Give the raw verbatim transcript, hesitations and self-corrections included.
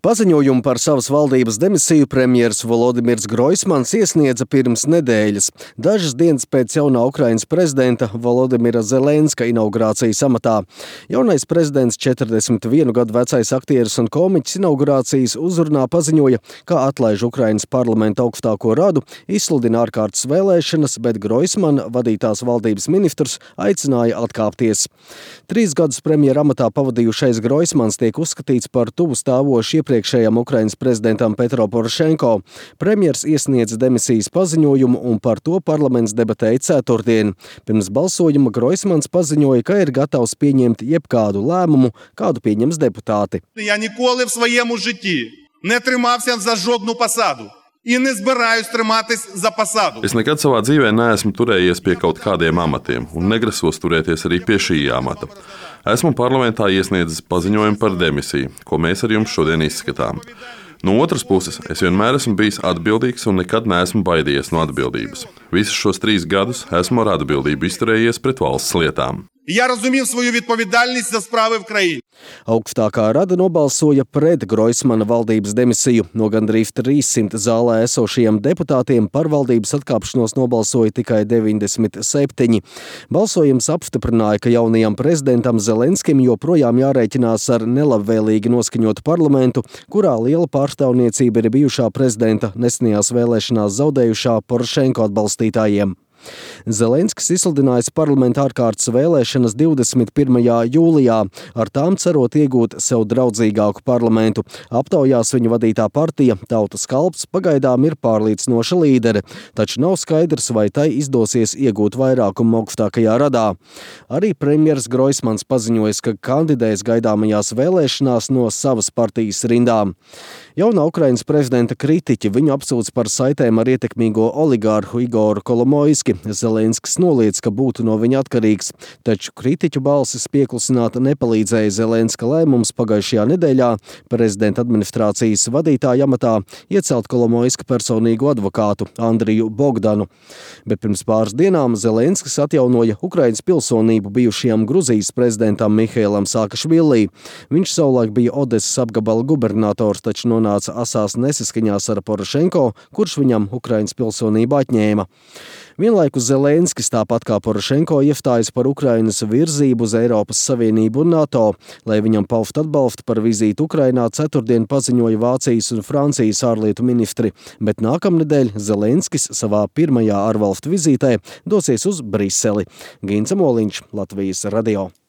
Paziņojumu par savas valdības demisiju premjers Volodimirs Groismans iesniedza pirms nedēļas, dažas dienas pēc jaunā Ukrainas prezidenta Volodimira Zelenska inaugurācijas amatā. Jaunais prezidents, četrdesmit vienu gadu vecais aktieris un komiķis, inaugurācijas uzrunā paziņoja, ka atlaiž Ukrainas parlamenta augstāko radu, izsludina ārkārtas vēlēšanas, bet Groismana vadītās valdības ministrs aicināja atkāpties. Trīs gadus premjera amatā pavadījušais Groismans tiek uzskatīts par tuvu stāvošu iepriekšējam Ukrainas prezidentam Petro Porošenko. Premjers iesniedza demisijas paziņojumu un par to parlaments debatēja ceturtdien. Pirms balsojuma Groismans paziņoja, ka ir gatavs pieņemt jebkādu lēmumu, kādu pieņems deputāti. Я ніколи в своєму житті не тримався за жодну посаду. І не збираюсь триматись за посаду. Es nekad savā dzīvē neesmu turējies pie kaut kādiem amatiem un negrasos turēties arī pie šī amata. Esmu parlamentā iesniedzis paziņojumu par demisiju, ko mēs ar jums šodien izskatām. No otras puses, es vienmēr esmu bijis atbildīgs un nekad neesmu baidījies no atbildības. Visus šos trīs gadus esmu ar atbildību izturējies pret valsts lietām. Я розумів свою відповідальність за справи в країні. Augstākā rada nobalsoja pret Groismana valdības demisiju. No gandrīz trīssimt zālē esošajiem deputātiem par valdības atkāpšanos nobalsoja tikai deviņdesmit septiņi. Balsojums apstiprināja, ka jaunajam prezidentam Zelenskim joprojām jārēķinās ar nelabvēlīgi noskaņotu parlamentu, kurā liela pārstāvniecība ir bijušā prezidenta nesenajās vēlēšanās zaudējušā Porošenko atbalstītājiem. Zelenskis izsludinājis parlamenta ārkārtas vēlēšanas divdesmit pirmajā jūlijā, ar tām cerot iegūt sev draudzīgāku parlamentu. Aptaujās viņa vadītā partija Tautas kalps pagaidām ir pārliecinoša līdere, taču nav skaidrs, vai tai izdosies iegūt vairākumu augstākajā radā. Arī premjers Groismans paziņojas, ka kandidēs gaidāmajās vēlēšanās no savas partijas rindām. Jaunā Ukrainas prezidenta kritiķi viņu apsūdz par saitēm ar ietekmīgo oligārhu Igoru Kolomoiski. Zelenskis noliedz, ka būtu no viņa atkarīgs, taču kritiķu balsis pieklusināt nepalīdzēja Zelenska lēmums pagājušajā nedēļā prezidenta administrācijas vadītāja amatā iecelt Kolomoiska personīgu advokātu Andriju Bogdanu. Bet pirms pāris dienām Zelenskis atjaunoja Ukrainas pilsonību bijušajam Gruzijas prezidentam Mihailam Saakašvilī. Viņš savulaik bija Odesas apgabala gubernators, taču nonāca asās nesaskaņās ar Porošenko, kurš viņam Ukrainas pilsonību atņēma. Vienlaikus Zelenskis, tāpat kā Porošenko, iestājas par Ukrainas virzību uz Eiropas Savienību un NATO. Lai viņam paust atbalstu par vizīti Ukrainā, ceturtdien paziņoja Vācijas un Francijas ārlietu ministri, bet nākamnedēļ Zelenskis savā pirmajā ārvalstu vizītē dosies uz Briseli. Gints Moliņš, Latvijas radio.